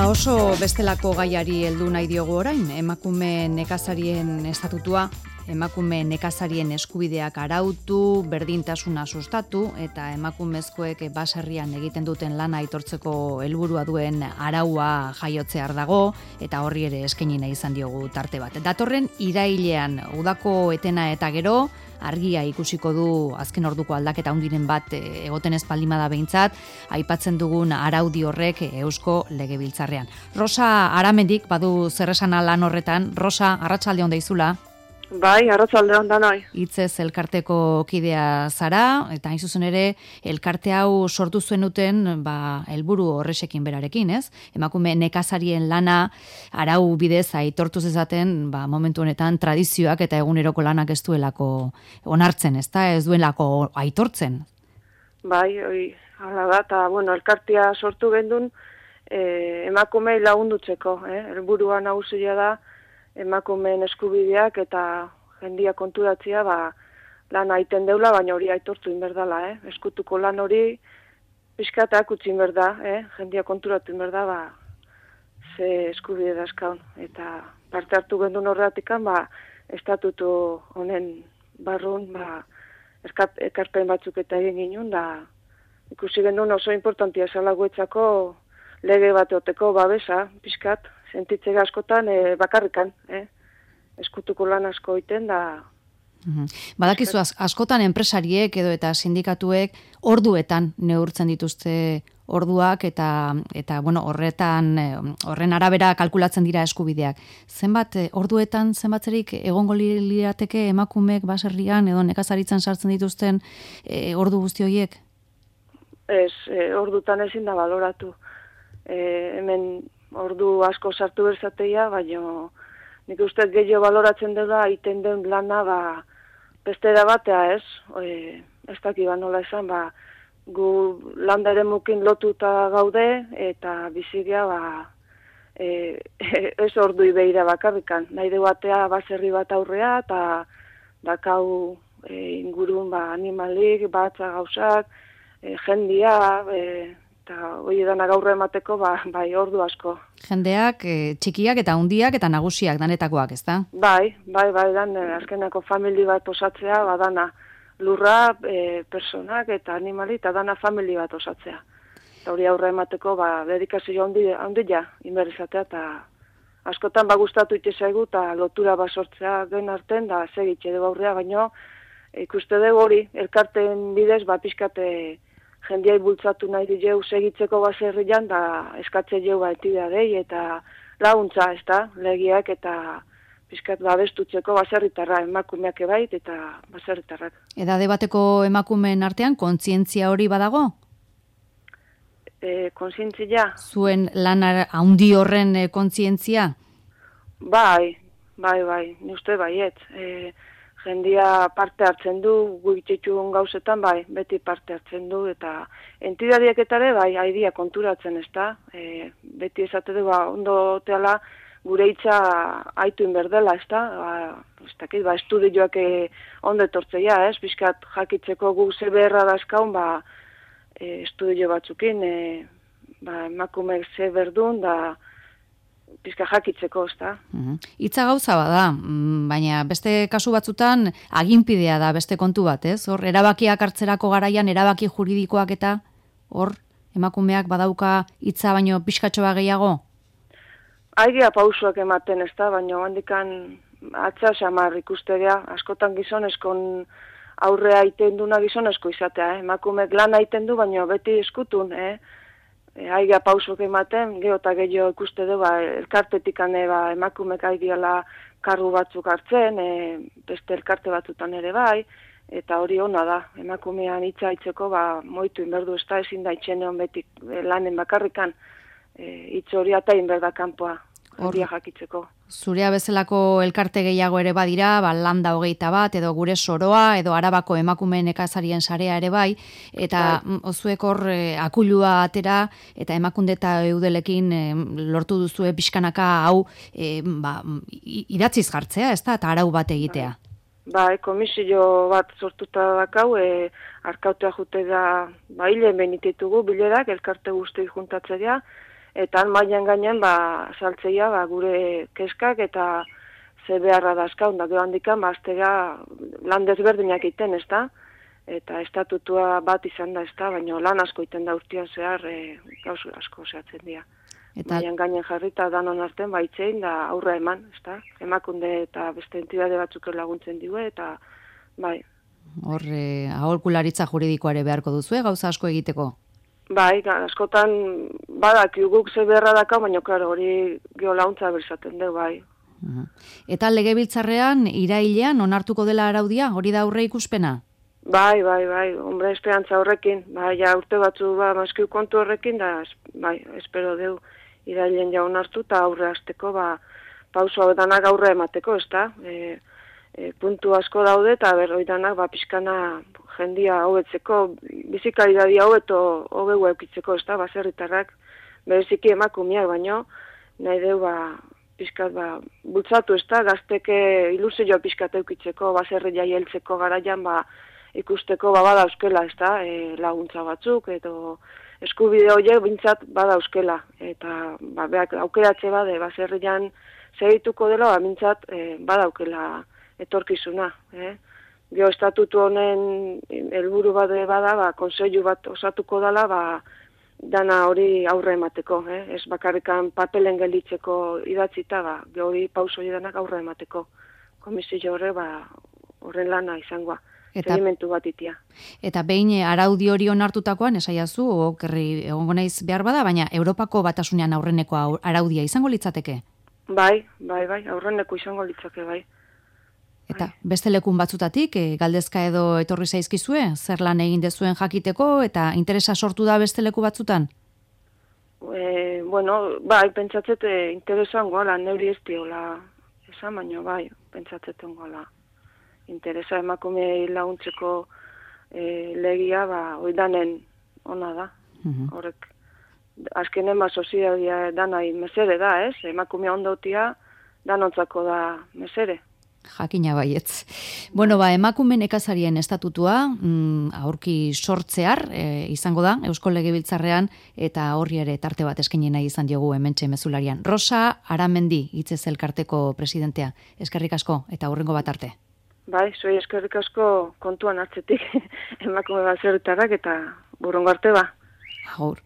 Oso bestelako gaiari heldu nahi diogu orain, emakume nekazarien estatutua, emakume nekazarien eskubideak arautu, berdintasuna sustatu eta emakumezkoek baserrian egiten duten lana aitortzeko helburua duen araua jaiotzear dago eta horri ere eskaini nahi izan diogu tarte bat. Datorren irailean udako etena eta gero argia ikusiko du azken orduko aldaketa handiren bat egoten ez baldin bada behintzat, aipatzen dugun araudi horrek Eusko Legebiltzarrean. Rosa Aramendik badu zer esana lan horretan. Rosa, arratsalde on daizula. Bai, arratsalde on danoi. Hitzez elkarteko kidea zara eta hain zuzen ere elkarte hau sortu zenuten helburu horresekin berarekin, ez? Emakume nekazarien lana arau bidez aitortu zezaten, momentu honetan tradizioak eta eguneroko lanak ez duelako onartzen, ezta? Ez duelako aitortzen. Bai, hala da, eta elkartea sortu gendun emakumei lagundutzeko, helburua nagusia da emakumeen eskubideak eta jendia konturatzea lan aiten deula, baina hori aitortu inberdala, eskutuko lan hori pixkatak utzi inberda, jendia konturatu inberda, ze eskubide dazkaun. Eta parte hartu gendun horretikan, estatutu honen barrun, ekarpen batzuk eta egin ginen, da ikusi gendun oso importantia zela guetzako lege bateoteko babesa, pixkat, sentitzega askotan bakarrikan, eskutuko lan asko iten da. Badakizu askotan enpresariek edo eta sindikatuek orduetan neurtzen dituzte orduak eta horren arabera kalkulatzen dira eskubideak. Orduetan zenbatzerik egongo lirateke emakumeek baserrian edo nekazaritzan sartzen dituzten ordu guzti horiek? Ez, ordutan ezin da baloratu. Hemen ordu asko sartu berzateia, baina nik uste gehiago baloratzen dela iten den lana bestera batea, ez? Ez dakiba nola esan, gu landa ere mukin lotuta gaude eta bizigia ez ordui behira bakarrikan. Nahi de batea baserri bat aurrea eta dakau ingurun animalik, batza gauzak, jendia, eta hori dana gaurra emateko, bai, ordu asko. Jendeak, txikiak eta hundiak eta nagusiak danetakoak, ez da? Bai, dan, azkenako famili bat osatzea, dana lurra, personak eta animali, eta dana famili bat osatzea. Eta hori aurra emateko, dedikazio handia, inberizatea, eta askotan gustatu itezaigu, eta lotura sortzea den arten, da segitxe dugu aurrea, baino, ikuste dugu hori, elkarten bidez, pixkate, jendiai bultzatu nahi dijeu segitzeko baserrian, da eskatze jau entidadei eta laguntza, ez da, legiak eta pixkat babestutzeko baserritarra, emakumeak ebait eta baserritarrak. Edade bateko emakumeen artean kontzientzia hori badago? Kontzientzia? Zuen lan handi horren kontzientzia? Bai, ni uste baiet. Jendia parte hartzen du, guitxetxun gauzetan, beti parte hartzen du, eta entidadiak eta ere, haidia konturatzen, ez da? Beti esate du, ondo teala gure hitza aitu inberdela, ez da? Ez dakit, estudioak ondo etortzeia, ez? Bizkat jakitzeko gu ze beharra dazkaun, estudio batzukin, emakumeek ze berdun, da pizka jakitzeko, ez da. Hitza gauza bada, baina beste kasu batzutan aginpidea da beste kontu bat, ez? Hor, erabakiak hartzerako garaian, erabaki juridikoak eta hor, emakumeak badauka hitza baino pixkatxoa gehiago? Airea pausuak ematen, ez da, baina handikan atza xamar ikustegea, askotan gizonezkon aurrea iten duna gizonezko izatea, emakumeek lan aiten du, baina beti eskutun, aiga pausok ematen, geho eta gehiago ikuste du, elkartetik emakumek aidiala kargu batzuk hartzen, beste elkarte batzutan ere bai, eta hori ona da, emakumean hitza hitzeko, moitu inberdu, ez da ezin da itxeneon beti lanen bakarrikan, hitz hori eta inberda kanpoa, handia jakitzeko. Zurea bezalako elkarte gehiago ere badira, landa 21 edo gure soroa edo Arabako emakume nekazarien sarea ere bai, eta ozuek hor akulua atera eta emakunde eta eudelekin lortu duzue pixkanaka hau idatziz jartzea, ez da, eta arau bat egitea. Komisio bat sortuta dakau, arkautea jute da, hilen benititugu bilerak, elkarte guzti juntatzea, eta mailan gainen saltzeia gure keskak eta ze beharra dazkaun, da gero handikan aztera lan desberdinak iten, ezta? Eta estatutua bat izan da, ezta? Baina lan asko iten da urtean zehar gauz asko zehatzen dira. Mailan gainen jarrita danon artean baitzein da aurra eman, ezta? Emakunde eta beste entidade batzuk laguntzen diue, eta bai. Hor, aholkularitza juridikoare beharko duzu, gauza asko egiteko? Bai, askotan badak guk ze beharra daka, baina klaro, hori geolauntza berzaten du, bai. Eta legebiltzarrean, irailean, onartuko dela araudia, hori da aurre ikuspena? Bai, hombre, esperantza horrekin, bai, ja urte batzu maskiu kontu horrekin, da, bai, espero deu irailean ja onartu, eta aurre hasteko, pauso hau danak aurre emateko, ez da? Puntu asko daude, eta berroi danak, pixkana jendia hobetzeko, bizikalidadia hobeu eukitzeko, ez da, baserritarrak, bereziki emakumeak baino, nahi deu, pixkat, bultzatu, ez da, gazteke ilusioa pixkat eukitzeko, baserri jaieltzeko garaian, ikusteko bada euskela, ez da, laguntza batzuk, edo eskubide horiek bintzat bada euskela, eta beak aukeratze bade, baserrian segituko dela, bintzat bada aukela etorkizuna. Geo estatutu honen helburu bade bada, konseilu bat osatuko dela, dana hori aurre emateko, ez bakarrikan papelen gelditzeko idatzita, hori pauso danak aurre emateko. Komisio horre, horren lana izangoa, sedimentu bat itia. Eta behin araudi hori onartutakoan, esaiazu, okerri egongo naiz behar bada, baina Europako Batasunean aurreneko araudia izango litzateke? Bai, aurreneko izango litzake, bai. Eta beste lekun batzutatik, galdezka edo etorri zaizkizue, zer lan egin dezuen jakiteko, eta interesa sortu da beste leku batzutan? Pentsatzet interesan goala, neuri ez diola, esan baino, pentsatzeten goala. Interesa emakume laguntzeko legia, oidanen ona da, horrek. Azkenen soziedadia danai mesere da, ez? Emakumea ondautia danontzako da mesere. Jakina baietz. Bueno, emakume nekazarien estatutua aurki sortzear izango da Eusko Legebiltzarrean, eta horri ere tarte bat eskaini nahi izan diogu hementxe mezularian. Rosa Aramendi, Hitzez Elkarteko presidentea. Eskerrik asko eta hurrengo bat arte. Bai, zuei eskerrik asko kontuan hartzetik emakume baserritarrak eta hurrengo arte. Agur.